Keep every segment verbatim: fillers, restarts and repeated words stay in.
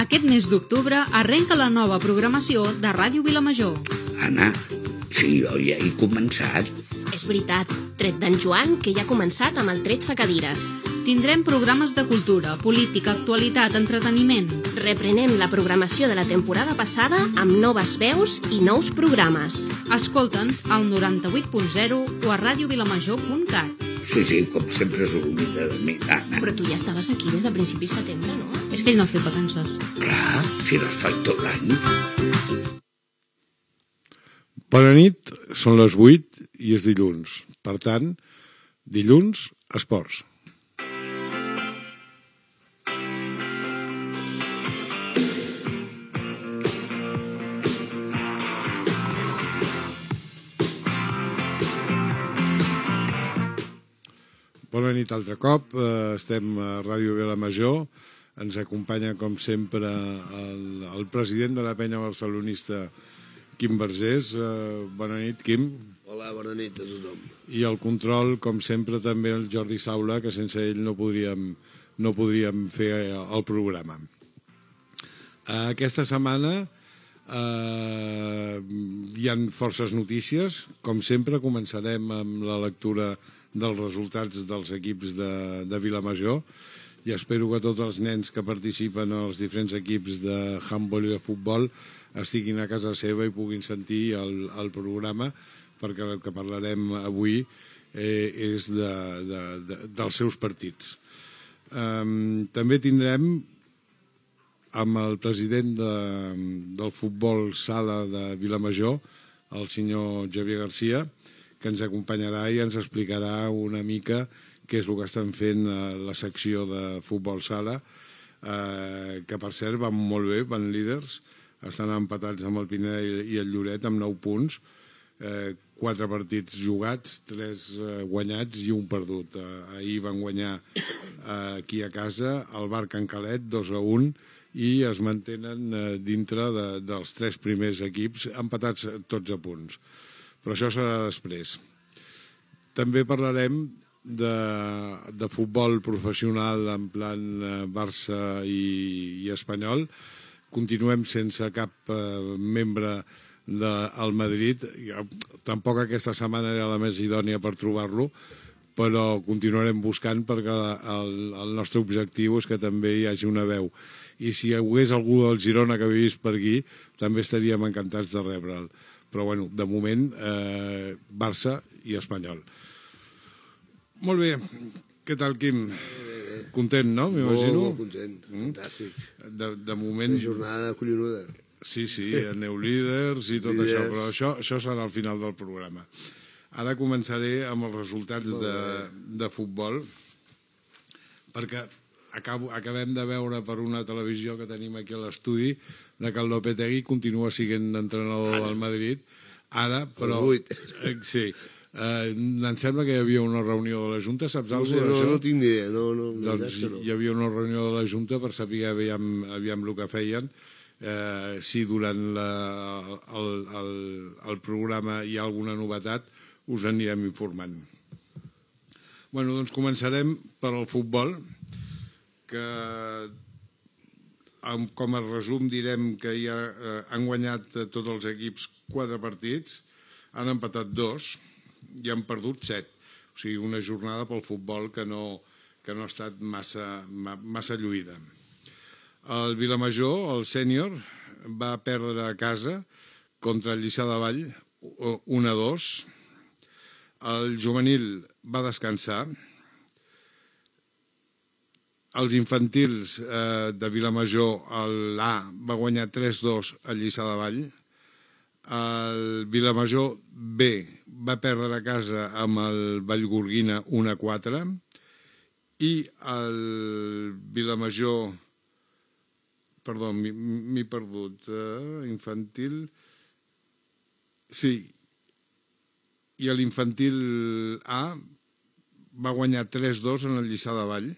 Aquest mes d'octubre arrenca la nova programació de Ràdio Vilamajor. Anna, sí, jo ja he començat. És veritat, tret d'en Joan, que ja ha començat amb el tretze cadires. Tindrem programes de cultura, política, actualitat, entreteniment. Reprenem la programació de la temporada passada amb noves veus i nous programes. Escolta'ns al noranta-vuit punt zero o a radiovilamajor punt cat. Sí, sí, com sempre s'oblida de mi, Anna. Però tu ja estaves aquí des de principi de setembre, no? És que ell no ha fet vacances. Clar, si les faig tot l'any. Bona nit, són les vuit i és dilluns. Per tant, dilluns, esports. Bona nit altre cop, estem a Ràdio Vilamajor, ens acompanya com sempre el, el president de la penya barcelonista, Quim Vergés. Bona nit, Quim. Hola, bona nit a tothom. I el control, com sempre, també el Jordi Saula, que sense ell no podríem, no podríem fer el programa. Aquesta setmana eh, hi ha forces notícies. Com sempre, començarem amb la lectura dels resultats dels equips de, de Vilamajor, i espero que tots els nens que participen als diferents equips de handbol i de futbol estiguin a casa seva i puguin sentir el, el programa, perquè el que parlarem avui eh, és de, de, de, dels seus partits. Um, també tindrem amb el president de, del futbol sala de Vilamajor, el senyor Javier Garcia, que ens acompanyarà i ens explicarà una mica què és el que estan fent a la secció de futbol sala, eh, que per cert van molt bé, van líders, estan empatats amb el Pineda i el Lloret amb nou punts, eh, quatre partits jugats, tres eh, guanyats i un perdut. Eh, ahir van guanyar eh, aquí a casa el Bar Can Calet dos a un i es mantenen eh, dintre de, dels tres primers equips, empatats tots a punts. Però això serà després. També parlarem de, de futbol professional en plan Barça i, i Espanyol. Continuem sense cap eh, membre del Madrid. Tampoc aquesta setmana era la més idònia per trobar-lo, però continuarem buscant perquè el, el nostre objectiu és que també hi hagi una veu. I si hi hagués algú del Girona que vivís per aquí, també estaríem encantats de rebre'l. Però, bueno, de moment, eh, Barça i Espanyol. Molt bé. Què tal, Quim? Bé, bé, bé. Content, no? M'imagino. Molt, molt content. Mm? Fantàstic. De, de moment... Una jornada collonuda. Sí, sí, aneu líders i tot líders. Això, però això, això serà al final del programa. Ara començaré amb els resultats de, de futbol, perquè acabo, acabem de veure per una televisió que tenim aquí a l'estudi de que el Lopetegui continua sent entrenador del Madrid, ara, però... Eh, sí, eh, em sembla que hi havia una reunió de la Junta, saps no, alguna cosa no, d'això? No, no tinc ni idea, no, no. Doncs no. Hi havia una reunió de la Junta per saber aviam, aviam el que feien, eh, si durant la, el, el, el programa hi ha alguna novetat, us anirem informant. Bueno, doncs començarem per al futbol, que com a resum direm que ja eh, han guanyat tots els equips quatre partits, han empatat dos i han perdut set. O sigui, una jornada pel futbol que no, que no ha estat massa, massa lluïda. El Vilamajor, el sènior, va perdre a casa contra el Lliçà de Vall un a dos. El juvenil va descansar. Els infantils eh, de Vilamajor, l'A, va guanyar tres a dos al Lliçà de Vall. El Vilamajor B va perdre a casa amb el Vallgorguina un a quatre. I el Vilamajor... Perdó, m'he perdut. Eh, infantil... Sí. I l'infantil A va guanyar tres a dos en el Lliçà de Vall.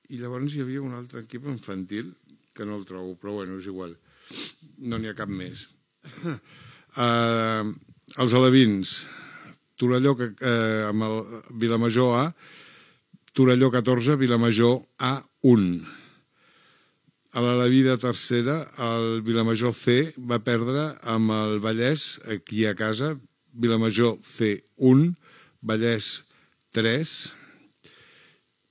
I llavors hi havia un altre equip infantil, que no el trobo, però bueno, és igual. No n'hi ha cap més. Uh, els alevins, Torelló eh, amb el Vilamajor A, Torelló catorze, Vilamajor A un. a la Vida tercera, el Vilamajor C va perdre amb el Vallès aquí a casa, Vilamajor C un, Vallès tres,